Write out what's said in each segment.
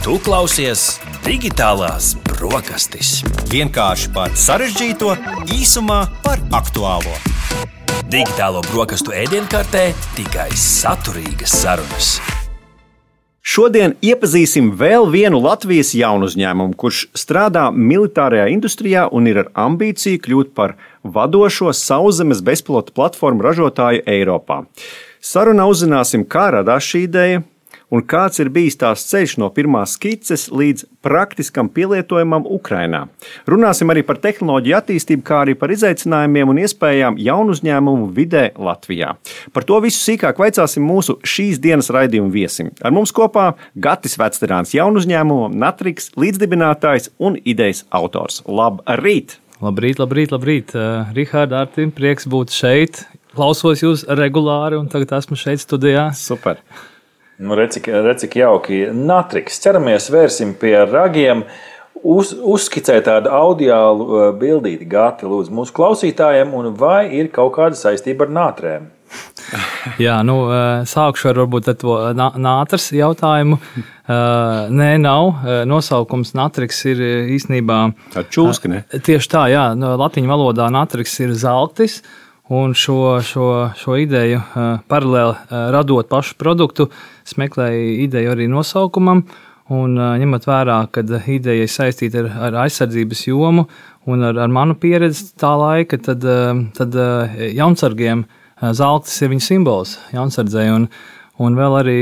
Tu klausies Digitālās brokastis. Vienkārši par sarežģīto, īsumā par aktuālo. Digitālo brokastu ēdienkartē tikai saturīgas sarunas. Šodien iepazīsim vēl vienu Latvijas jaunuzņēmumu, kurš strādā militārajā industrijā un ir ar ambīciju kļūt par vadošo sauszemes bezpilota platformu ražotāju Eiropā. Sarunā uzzināsim, kā radās šī ideja un kāds ir bijis tās ceļš no pirmās skices līdz praktiskam pielietojumam Ukrainā. Runāsim arī par tehnoloģiju attīstību, kā arī par izaicinājumiem un iespējām jaunuzņēmumu vidē Latvijā. Par to visu sīkāk vaicāsim mūsu šīs dienas raidījuma viesim. Ar mums kopā Gatis Vecterāns, jaunuzņēmuma Natrix līdzdibinātājs un idejas autors. Labrīt! Labrīt. Rihārd, Artim, prieks būt šeit. Klausos jūs regulāri un tagad esmu šeit studijā. Super! Nu, redz, cik jauki. Natrix. Ceramies, vērsim pie ragiem. Uzskicē tādu audiālu bildīti, Gati, lūdzu, mūsu klausītājiem, un vai ir kaut kāda saistība ar nātrēm? Jā, sākšu ar varbūt ar to nātras jautājumu. Nē, nav. Nosaukums Natrix ir īstenībā... Tā čūska, ne? Tieši tā, jā. Latiņu valodā Natrix ir zeltis. Un šo ideju paralēli radot pašu produktu, smēklēju ideju arī nosaukumam. Un ņemot vērā, ka ideja ir saistīta ar aizsardzības jomu un ar manu pieredzi tā laika, tad jaunsargiem zeltis ir viņa simbols jaunsardzei. Un vēl arī,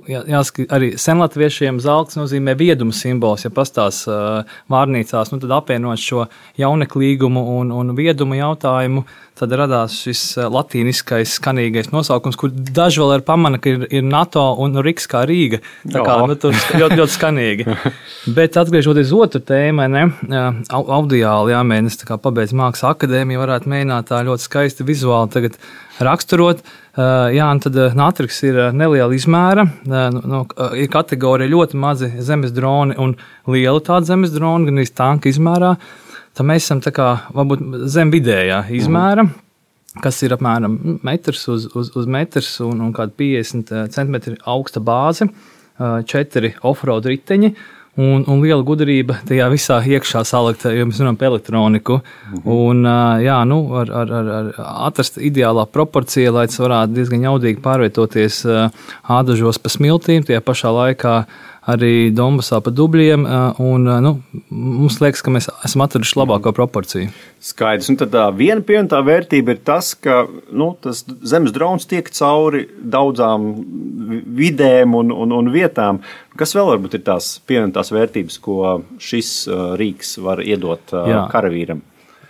jāsaka, arī senlatviešiem zelts nozīmē vieduma simbols. Ja pastās vārnīcās, tad apvienot šo jauneklīgumu un viedumu jautājumu, tad radās šis latīniskais skanīgais nosaukums, kur daži vēl pamana, ka ir NATO un Riks kā Rīga. Tā kā tur ļoti skanīgi. Bet atgriežoties otru tēmu, audiāli jāmēģina, tā kā pabeidz Mākslas akadēmiju, varētu mēģināt tā ļoti skaisti vizuāli tagad raksturot. Jā, un tad Natrix ir neliela izmēra, ir kategorija ļoti mazi zemes droni un liela tāda zemes droni, gan arī tanka izmērā. Tad mēs esam tā kā varbūt zem vidējā izmēra, kas ir apmēram metrs uz metrs un kādi 50 centimetri augsta bāze, 4 offroad riteņi. Un liela gudrība tajā visā iekšā salikt, jo mēs runājam par elektroniku. Un, ar atrast ideālā proporcija, lai tas varētu diezgan jaudīgi pārvietoties ādažos pa smiltīm, tajā pašā laikā arī Donbasā pa dubļiem. Mums liekas, ka mēs esam atraduši labāko proporciju. Skaidrs. Un tad viena pievienotā vērtība ir tas, ka tas zemes drons tiek cauri daudzām vidēm un vietām. Kas vēl varbūt ir tās pievienotās vērtības, ko šis rīks var iedot karavīram?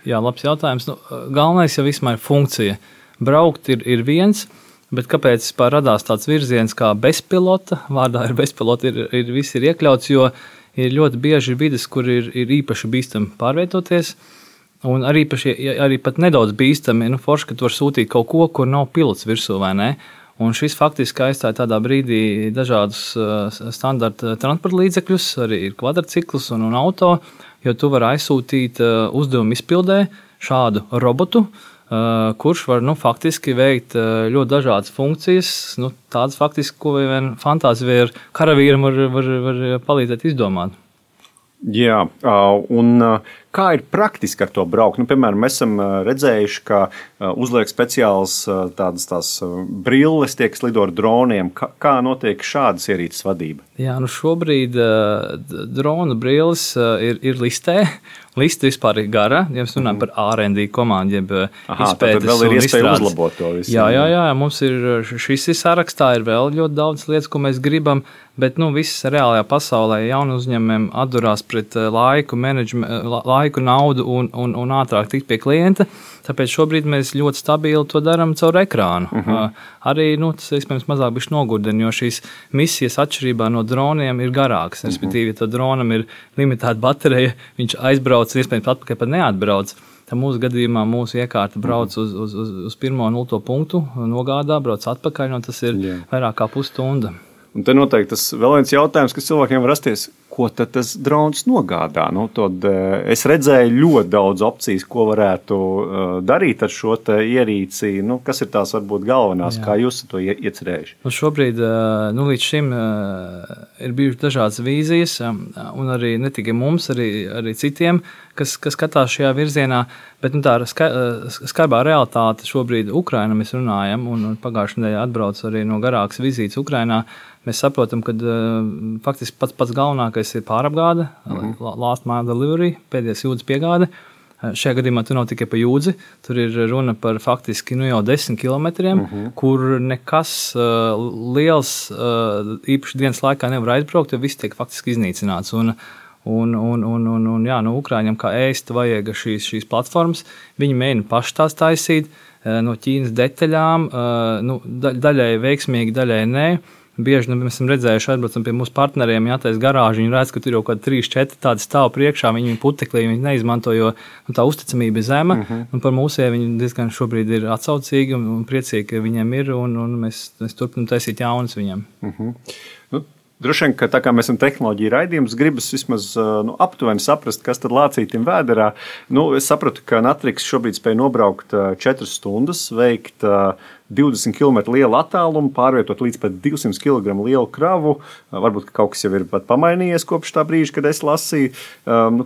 Jā, labs jautājums. Galvenais jau vismaz ir funkcija. Braukt ir viens, bet kāpēc vispār radās tāds virziens kā bezpilota? Vārdā ir bezpilota, viss ir iekļauts, jo ir ļoti bieži vides, kur ir īpaši bīstami pārvietoties. Un arī pat nedaudz bīstami, forši, ka tu var sūtīt kaut ko, kur nav pilots virsū, vai ne? Un šis faktiski aizstāja tādā brīdī dažādus standarta transporta līdzekļus, arī ir kvadrciklus un auto, jo tu vari aizsūtīt uzdevumu izpildē šādu robotu, kurš var faktiski veikt ļoti dažādas funkcijas, tādas faktiski, ko vien fantāzija ar karavīram var palīdzēt izdomāt. Jā, un kā ir praktiski ar to braukt? Piemēram, mēs esam redzējuši, ka uzliek speciāls tās brilles, tiek slido ar droniem. Kā notiek šādas ierīces vadība? Jā, šobrīd drona brilles ir listē. Liste vispār ir gara, ja mēs runājam par R&D komandu, jeb izpētes vēl ir un iespēja izstrādes. uzlabot to visu. Jā, mums ir šis sarakstā, ir vēl ļoti daudz lietas, ko mēs gribam, bet viss reālajā pasaulē jaunu uzņēmumiem atdurās pret laiku, naudu un ātrāk tikt pie klienta. Tāpēc šobrīd mēs ļoti stabili to darām caur ekrānu. Arī tas iespējams mazāk bišķi nogurdina, jo šīs misijas atšķirībā no droniem ir garākas. Respektīvi, ja tā dronam ir limitēta baterija, viņš aizbrauc, iespējams atpakaļ pat neatbrauc. Tad mūsu gadījumā mūsu iekārta brauc uz pirmo 0. punktu, nogādā, brauc atpakaļ, un tas ir vairāk kā pusstunda. Un te noteikti tas vēl viens jautājums, kas cilvēkiem var rasties, ko tad tas drons nogādā? Tad es redzēju ļoti daudz opcijas, ko varētu darīt ar šo ierīci. Kas ir tās varbūt galvenās, kā jūs to iecerējuši? Šobrīd līdz šim ir bijušas dažādas vīzijas, un arī ne tikai mums, arī citiem, kas skatās šajā virzienā. Bet tā skarbā realitāte šobrīd Ukraina mēs runājam, un pagājušajā nedēļā atbrauc arī no garākas vizītes Ukrainā. Mēs saprotam, ka faktiski pats galvenākais ir pārapgāde, last mile delivery, pēdējais jūdzes piegāde. Šajā gadījumā tur nav tikai par jūdzi, tur ir runa par faktiski jau 10 kilometriem, kur nekas liels īpaši dienas laikā nevar aizbraukt, jo viss tiek faktiski iznīcināts. Ukrāņiem kā ēst vajag šīs platformas, viņi mēģina paši tās taisīt no Ķīnas detaļām, daļai veiksmīgi, daļai nē. Bieži mēs esam redzējuši, atbraucam pie mūsu partneriem, jātais garāži, viņi redz, ka tur jau kaut kādi 3-4 tādi stāv priekšā, viņi puteklī, viņi neizmanto, jo tā uzticamība ir zema, un par mūsiem viņi diezgan šobrīd ir atsaucīgi un priecīgi, ka viņiem ir, un mēs turpinam taisīt jaunas viņiem. Droši vien, ka tā kā mēs esam tehnoloģija raidījums, gribas vismaz aptuveni saprast, kas tad lācītim vēderā. Es sapratu, ka Natrix šobrīd spēj nobraukt 4 stundas, veikt 20 km lielu attālumu, pārvietot līdz pat 200 kg lielu kravu. Varbūt kaut kas jau ir pat pamainījies kopš tā brīža, kad es lasīju.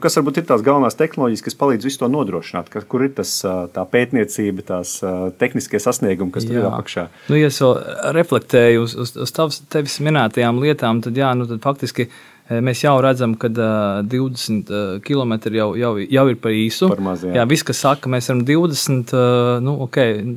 Kas varbūt ir tās galvenās tehnoloģijas, kas palīdz visu to nodrošināt? Kur ir tā pētniecība, tās tehniskie sasniegumi, kas tur ir apakšā? Ja es vēl reflektēju uz tevis minētajām lietām, tad faktiski mēs jau redzam, ka 20 km jau ir par īsu. Par maz, jā, viss, kas saka, mēs varam 20,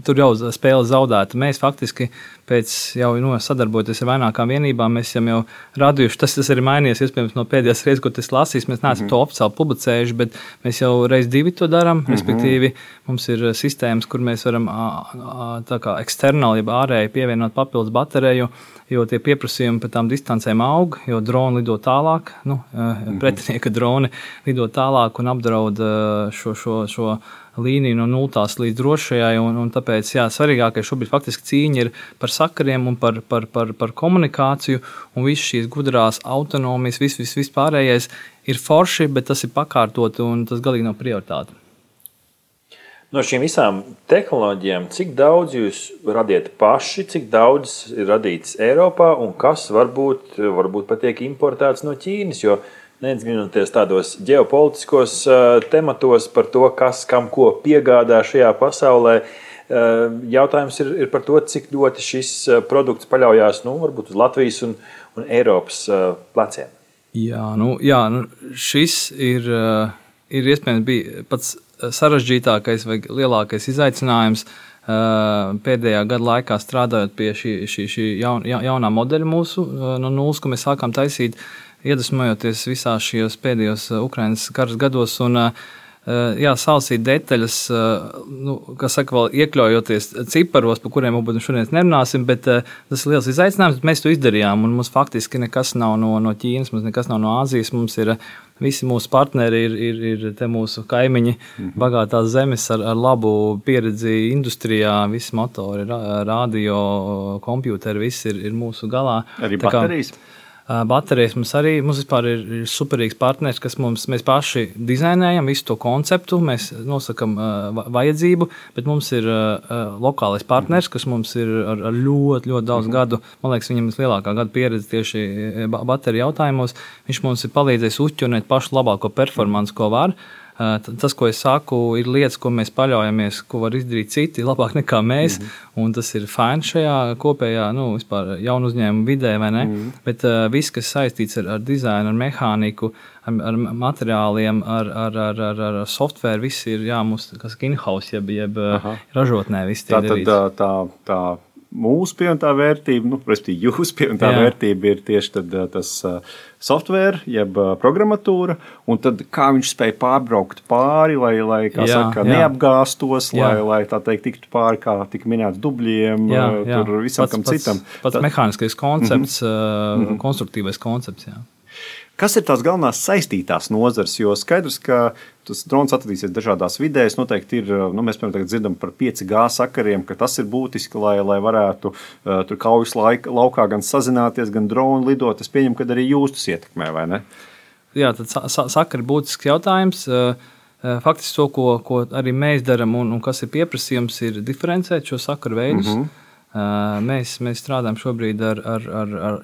tur jau spēle zaudēta. Mēs faktiski pēc jau sadarbojoties ar vairākām vienībām, mēs jau radījuši, tas ir mainījies, iespējams, no pēdējās reizes, ko tas lasīs, mēs neesam to oficiāli publicējuši, bet mēs jau reiz 2 to darām, respektīvi mums ir sistēmas, kur mēs varam tā kā eksternāli, jeb ārēji pievienot papildus bateriju, jo tie pieprasījumi par tām distancēm aug, jo droni lido tālāk, pretinieka droni lido tālāk un apdraud šo līniju no 0 līdz drošajai, un tāpēc, svarīgākais šobrīd faktiski cīņa ir par sakariem un par komunikāciju, un visas šīs gudrās autonomijas, viss pārējais ir forši, bet tas ir pakārtot, un tas galīgi nav prioritāte. No šīm visām tehnoloģijām, cik daudz jūs radiet paši, cik daudz ir radīts Eiropā, un kas varbūt pat tiek importēts no Ķīnas, jo neizginoties tādos ģeopolitiskos tematos par to, kas kam ko piegādā šajā pasaulē. Jautājums ir par to, cik ļoti šis produkts paļaujās varbūt uz Latvijas un Eiropas pleciem. Šis ir iespējams bija pats sarežģītākais vai lielākais izaicinājums pēdējā gada laikā strādājot pie šī jaunā modeļa mūsu no nulles, ko mēs sākām taisīt, iedvesmojoties visās šajos pēdējos Ukrainas karas gados un salasīt detaļas, kas saka, vēl iekļaujoties ciparos, par kuriem varbūt šodien nerunāsim, bet tas ir liels izaicinājums, bet mēs to izdarījām, un mums faktiski nekas nav no Ķīnas, mums nekas nav no Āzijas, mums ir visi mūsu partneri ir te mūsu kaimiņi, bagātās zemes ar labu pieredzi industrijā, visi motori, radio, kompjūteri, viss ir mūsu galā. Arī baterijas? Baterijas mums vispār ir superīgs partners, kas mēs paši dizainējam visu to konceptu, mēs nosakam vajadzību, bet mums ir lokālais partners, kas mums ir ar ļoti daudz gadu, man liekas, viņam ir lielākā gada pieredze tieši bateriju jautājumos, viņš mums ir palīdzējis uzķurnēt pašu labāko performansu, ko var. Tas, ko es saku, ir lietas, ko mēs paļaujamies, ko var izdarīt citi labāk nekā mēs, un tas ir fajn šajā kopējā, vispār jaunu uzņēmumu vidē, vai ne? Bet viss, kas saistīts ar dizainu, ar mehāniku, ar materiāliem, ar software, viss ir, mums, kas in-house, jeb ražotnē, viss tiek darīts. Tā mūsu pievienotā vērtība, respektīvi jūsu pievienotā vērtība ir tieši tas software, jeb programmatūra, un tad kā viņš spēj pārbraukt pāri, lai neapgāstos, lai tā teikt tiktu pāri, kā tika minēts dubļiem, tur visam kam citam. Pats mehāniskais koncepts, konstruktīvais koncepts, Kas ir tās galvenās saistītās nozares? Jo skaidrs, ka tas drons atradīsies dažādās vidēs. Noteikti ir, mēs piemēram dzirdam par 5G sakariem, ka tas ir būtiski, lai varētu tur kaujas laukā gan sazināties, gan dronu lidot. Es pieņemu, ka arī jūs tas ietekmē, vai ne? Jā, tad sakari būtisks jautājums. Faktiski to, ko arī mēs darām un kas ir pieprasījums, ir diferencēt šo sakaru veidus. Mēs strādājam šobrīd ar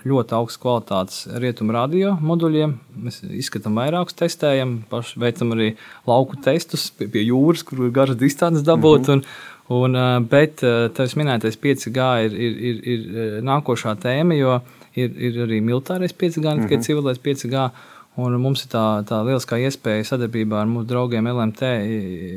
ļoti augstu kvalitātes rietumu radio moduļiem. Mēs izskatām vairākus, testējam, paši veicam arī lauku testus pie jūras, kur ir garas distances dabūt. Bet tevis minētais 5G ir nākošā tēma, jo ir arī militārais 5G, ne tikai civilais 5G. Un mums ir tā lieliskā iespēja sadarbībā ar mūsu draugiem LMT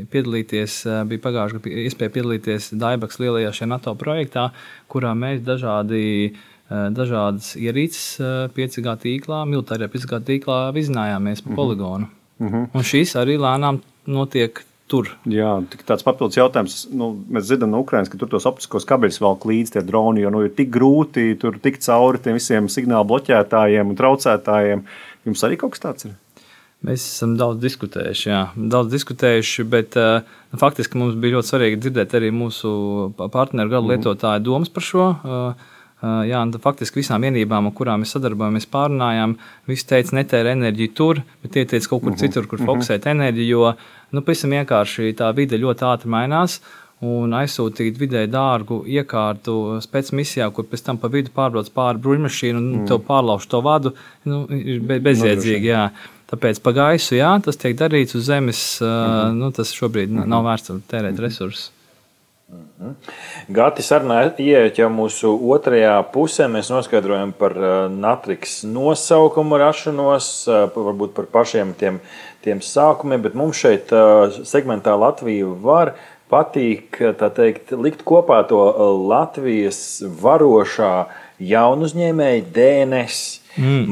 piedalīties. Bija pagājušajā gadā iespēja piedalīties Daibaks lielajā šajā NATO projektā, kurā mēs dažādas ierīces 5G tīklā, militārajā 5G tīklā vizinājāmies pa poligonu. Un šīs arī lēnām notiek tur. Jā, tāds papildus jautājums. Mēs dzirdam no Ukrainas, ka tur tos optiskos kabeļus velk līdzi tie droni, jo ir tik grūti tur tikt cauri tiem visiem signālu bloķētājiem un traucētājiem. Jums arī kaut kas tāds ir? Mēs esam daudz diskutējuši, bet faktiski mums bija ļoti svarīgi dzirdēt arī mūsu partneru gadu lietotāju domas par šo. Jā, un faktiski visām vienībām, ar kurām mēs sadarbojamies, pārunājām, visi teica, netēra enerģiju tur, bet tie teica kaut kur citur, kur fokusēt enerģiju, jo pavisam vienkārši tā vide ļoti ātri mainās. Un aizsūtīt vidēji dārgu iekārtu spēcmisijā, kur pēc tam pa vidu pārbrauc pāri bruņmašīnu un tev pārlauž to vadu, ir bezjēdzīgi. Jā. Tāpēc pa gaisu, jā, tas tiek darīts uz zemes, tas šobrīd nav vērts tērēt resursus. Gati sarunā ieiet jau mūsu otrajā pusē. Mēs noskaidrojam par Natrix nosaukumu rašanos, varbūt par pašiem tiem sākumiem, bet mums šeit segmentā Latvija var patīk, tā teikt, likt kopā to Latvijas varošā jaunuzņēmēja DNS.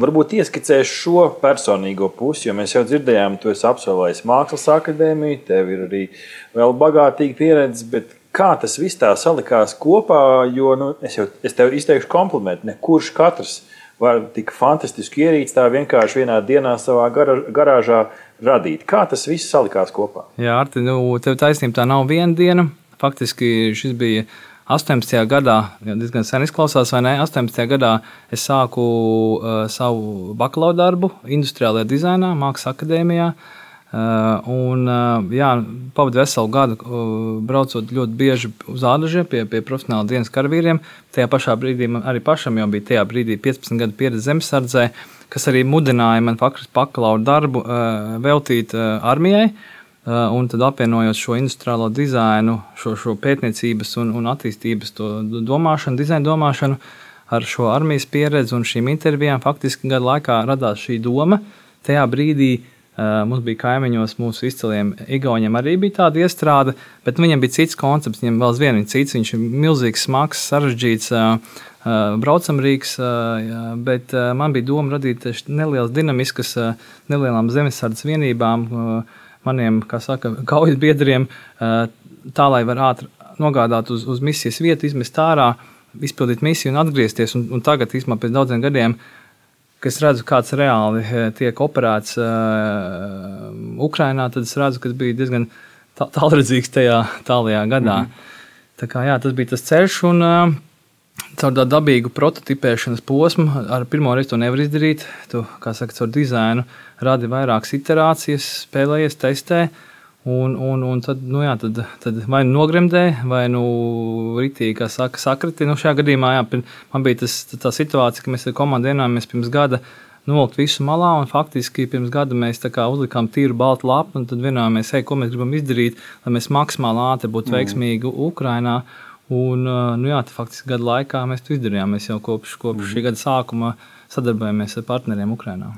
Varbūt ieskicēs šo personīgo pusi, jo mēs jau dzirdējām, tu esi absolvējis Mākslas akadēmiju, tev ir arī vēl bagātīga pieredze, bet kā tas viss tā salikās kopā, jo es tev izteikšu komplimentu, nekurš katrs var tik fantastiski ierīci tā vienkārši vienā dienā savā garāžā radīt. Kā tas viss salikās kopā? Jā, Arti, tev taisnība, tā nav viena diena. Faktiski šis bija 18. gadā, diezgan sen izklausās, vai ne? 18. gadā es sāku savu bakalaura darbu industriālajā dizainā, Mākslas akadēmijā. Pavadu veselu gadu braucot ļoti bieži uz ādažiem pie profesionāla dienas karavīriem. Tajā pašā brīdī man arī pašam jau bija 15 gadu pieredze zemesardzē, kas arī mudināja man faktiski bakalaura darbu veltīt armijai. Un tad apvienojot šo industriālo dizainu, šo pētniecības un attīstības domāšanu, dizaina domāšanu ar šo armijas pieredzi un šīm intervijām, faktiski gadu laikā radās šī doma. Tajā brīdī mums bija kaimiņos mūsu izciliem Igauņiem arī bija tāda iestrāde, bet viņam bija cits koncepts, viņam vēl aizvien ir cits, viņš ir milzīgs, smags, sarežģīts, braucamrīgs, bet man bija doma radīt nelielas dinamiskas, nelielām zemesardzes vienībām, maniem, kā saka, kaujas biedriem, tā, lai var ātri nogādāt uz misijas vietu, izmest ārā, izpildīt misiju un atgriezties. Un tagad, īstenībā pēc daudziem gadiem, kad es redzu, kāds reāli tiek operēts Ukrainā, tad es redzu, ka tas bija diezgan tālredzīgs tajā tālajā gadā. Tā kā, jā, tas bija tas ceļš, un caur tādu dabīgu prototipēšanas posmu ar pirmo reizi to nevar izdarīt. Tu, kā saka, caur dizainu radi vairākas iterācijas, spēlējies, testē, un tad vai nogremdē, vai ritīgi, kā saka, sakriti. Šajā gadījumā, jā, man bija tā situācija, ka mēs ar komandu vienojāmies pirms gada novilkt visu malā, un faktiski pirms gada mēs tā kā uzlikām tīru baltu lapu, un tad vienojāmies, ko mēs gribam izdarīt, lai mēs maksimāli ātri būtu veiksmīgi Ukrainā. Un, faktiski gadu laikā mēs to izdarījām. Mēs jau kopš šī gada sākuma sadarbojamies ar partneriem Ukrainā.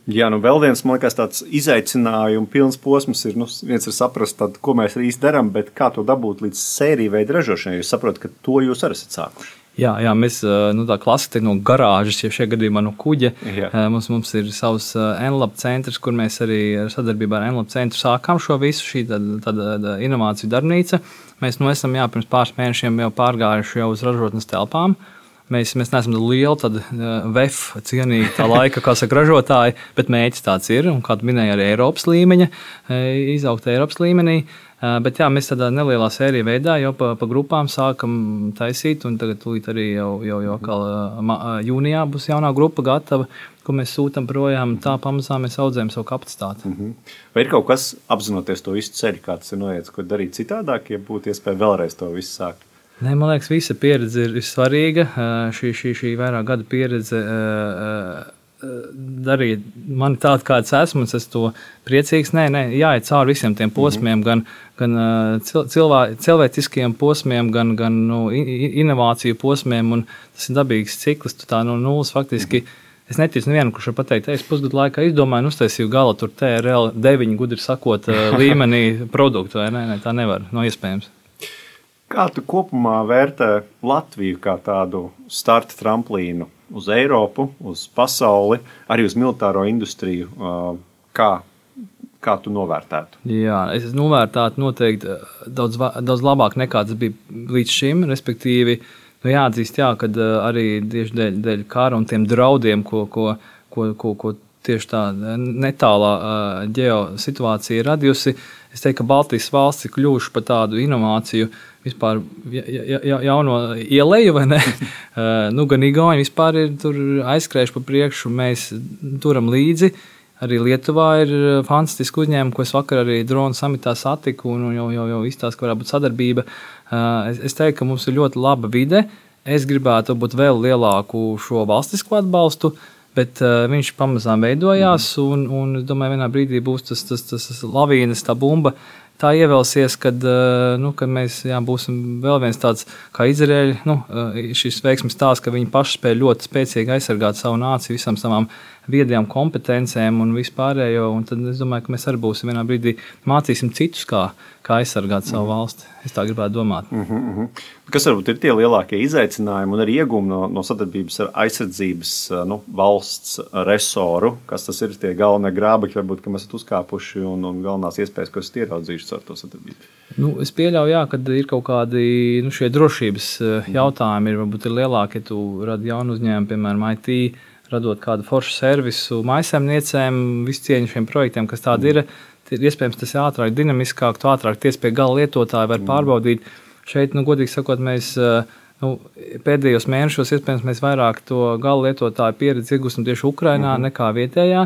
Jā, vēl viens, man liekas, tāds izaicinājums pilns posms ir, viens ir saprast, ko mēs īsti darām, bet kā to dabūt līdz sēriju veidu ražošanai. Jūs saprotat, ka to jūs arī esat sākuši. Jā, mēs tā klasika no garāžas, ja šajā gadījumā no kuģa. Mums ir savs NLab centrs, kur mēs arī sadarbībā ar NLab centru sākām šo visu, šī tāda inovāciju darbnīca. Mēs esam pirms pāris mēnešiem jau pārgājuši jau uz ražotnes telpām. Mēs neesam lieli VEF cienīgi tā laika, kā saka, ražotāji, bet mērķis tāds ir, un kā tu minēji, arī Eiropas līmeņa, izaugt Eiropas līmenī. Bet jā, mēs tādā nelielā sērija veidā jau pa grupām sākam taisīt, un tagad tūlīt arī jau jūnijā būs jaunā grupa gatava, ko mēs sūtam projām, tā pamazām mēs audzējam savu kapacitāti. Vai ir kaut kas, apzinoties to visu ceļu, kā tas ir noiets, ko darīt citādāk, ja būtu iespēja vēlreiz to visu sākt? Nē, man liekas, visa pieredze ir svarīga. Šī vairāk gada pieredze darīja mani tādu, kāds esmu, un es to priecīgs. Nē, jāiet cauri visiem tiem posmiem, gan cilvēciskiem posmiem, gan inovāciju posmiem, un tas ir dabīgs cikls, tu tā no nulles faktiski. Es neticu nevienu, kurš var pateikt, es pusgadu laikā izdomāju un uztaisīju gala tur TRL 9, gudri sakot, līmenī produktu, vai ne? Tā nevar, nav iespējams. Kā tu kopumā vērtē Latviju kā tādu starta tramplīnu uz Eiropu, uz pasauli, arī uz militāro industriju? Kā tu novērtētu? Jā, es novērtētu noteikti daudz labāk nekā tas bija līdz šim, respektīvi, jāatzīst, kad arī tieši dēļ kara un tiem draudiem, ko tieši tā netālā ģeosituācija ir radījusi, es teiktu, ka Baltijas valsts ir kļuvuši par tādu inovāciju vispār jauno ieleju, vai ne? Gan Igauni vispār ir tur aizskrējuši pa priekšu, mēs turam līdzi. Arī Lietuvā ir fantastiski uzņēmumi, ko es vakar arī dronu samitā satiku, un jau izstāstu, ka varētu būt sadarbība. Es teiktu, ka mums ir ļoti laba vide. Es gribētu būt vēl lielāku šo valstisku atbalstu, bet viņš pamazām veidojās, un es domāju, vienā brīdī būs tas lavīnas, tā bumba, tā ievelsies, kad mēs būsim vēl viens tāds kā Izraēļi, šis veiksmes stāsts, ka viņi paši spēj ļoti spēcīgi aizsargāt savu nāciju, visam savām viedajām kompetencēm un vispārējo, un tad es domāju, ka mēs arī būsim vienā brīdī mācīsim citus, kā aizsargāt savu valsti. Es tā gribētu domāt. Kas varbūt ir tie lielākie izaicinājumi un arī iegūmi no sadarbības ar aizsardzības valsts resoru? Kas tas ir tie galvenie grābekļi, varbūt, ka mēs esam uzkāpuši un galvenās iespējas, ko esat ieraudzījuši ar to sadarbību? Es pieļauju, ka ir kaut kādi šie drošības jautājumi, varbūt ir lielāki, ja tu radi jaunu uzņēmumu, piemēram, IT, radot kādu foršu servisu mājsaimniecēm, visu cieņu šiem projektiem, kas tādi ir. Iespējams, tas ir ātrāk, dinamiskāk, tu ātrāk tiec pie gala lietotāja, var pārbaudīt. Šeit, godīgi sakot, mēs pēdējos mēnešos, iespējams, mēs vairāk to gala lietotāju pieredzi iegūstam tieši Ukrainā nekā vietējā,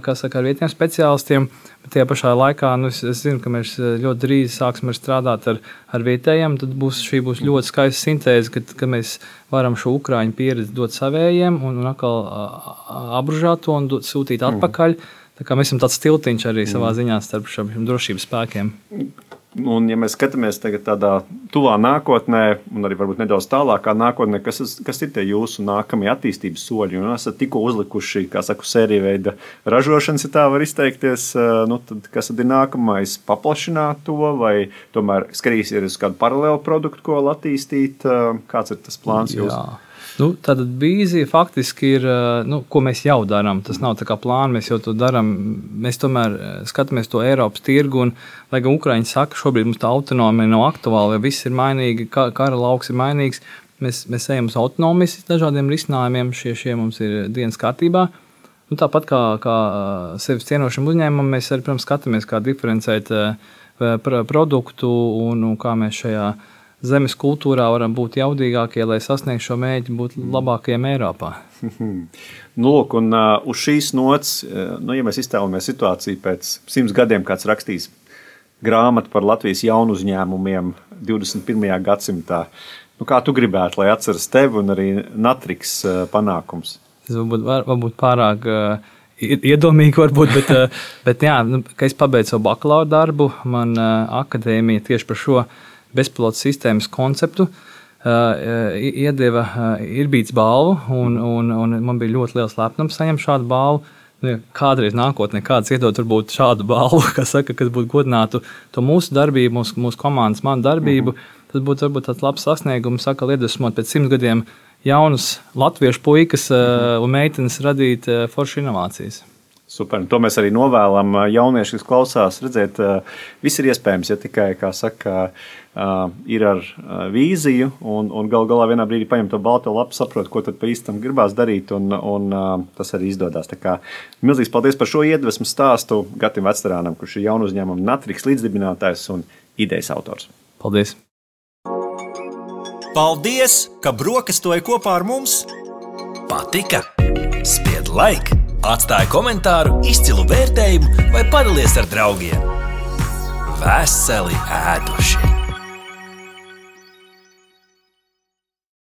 kā saka, ar vietējiem speciālistiem. Bet tajā pašā laikā, es zinu, ka mēs ļoti drīz sāksim strādāt ar vietējiem, tad šī būs ļoti skaista sintēze, ka mēs varam šo Ukraiņu pieredzi dot savējiem un atkal apbružāt to un sūtīt atpakaļ. Tā kā mēs esam tāds tiltiņš arī savā ziņā starp šiem drošības spēkiem. Un, ja mēs skatāmies tagad tādā tuvā nākotnē, un arī varbūt nedaudz tālākā nākotnē, kas ir tie jūsu nākamie attīstības soļi? Un esat tikko uzlikuši, kā saku, sēriju veida ražošanas, ja tā var izteikties, tad kas tad ir nākamais? Paplašināt to, vai tomēr skatīsies uz kādu paralēlu produktu, ko attīstīt? Kāds ir tas plāns jūs? Tātad vīzija faktiski ir, ko mēs jau darām. Tas nav tā kā plāns, mēs jau to darām. Mēs tomēr skatāmies to Eiropas tirgu, un, lai gan Ukraiņi saka, šobrīd mums tā autonomija nav aktuāla, ja viss ir mainīgi, kara lauks ir mainīgs, mēs ejam uz autonomijas dažādiem risinājumiem, šie mums ir dienas kārtībā. Tāpat kā sevis cienošam uzņēmumam, mēs arī, protams, skatāmies, kā diferencēt produktu un kā mēs šajā zemes kultūrā varam būt jaudīgākie, lai sasniegtu šo mērķi, būt labākajiem Eiropā. Lūk, un uz šīs nots, ja mēs iztēlamies situāciju pēc 100 gadiem, kāds rakstīs grāmatu par Latvijas jaunu uzņēmumiem 21. gadsimtā, kā tu gribētu, lai atceras tevi un arī Natrix panākums? Tas varbūt pārāk iedomīgi, bet jā, ka es pabeidzu savu bakalaura darbu, man akadēmija tieši par šo bezpilotu sistēmas konceptu iedeva Irbīts balvu, un man bija ļoti liels lepnums saņemt šādu balvu. Kādreiz nākotnē kāds iedod varbūt šādu balvu, kas būtu godinātu to mūsu darbību, mūsu komandas, manu darbību, tad būtu varbūt tāds labs sasniegums, iedvesmot pēc 100 gadiem jaunus latviešu puikas un meitenes radīt foršu inovācijas. Super, un to mēs arī novēlam jaunieši, kas klausās, redzēt, viss ir iespējams, ja tikai, kā saka, ir ar vīziju un galā vienā brīdī paņem to balto lapu, saprot, ko tad pa īstam gribās darīt, un tas arī izdodās. Tā kā milzīgs paldies par šo iedvesmu stāstu Gatim Vectarānam, kurš ir jaunu uzņēmumu Natrix līdzdibinātājs un idejas autors. Paldies! Paldies, ka brokastoji kopā ar mums! Patika? Spied like, atstāj komentāru, izcilu vērtējumu vai padalies ar draugiem. Veseli ēduši!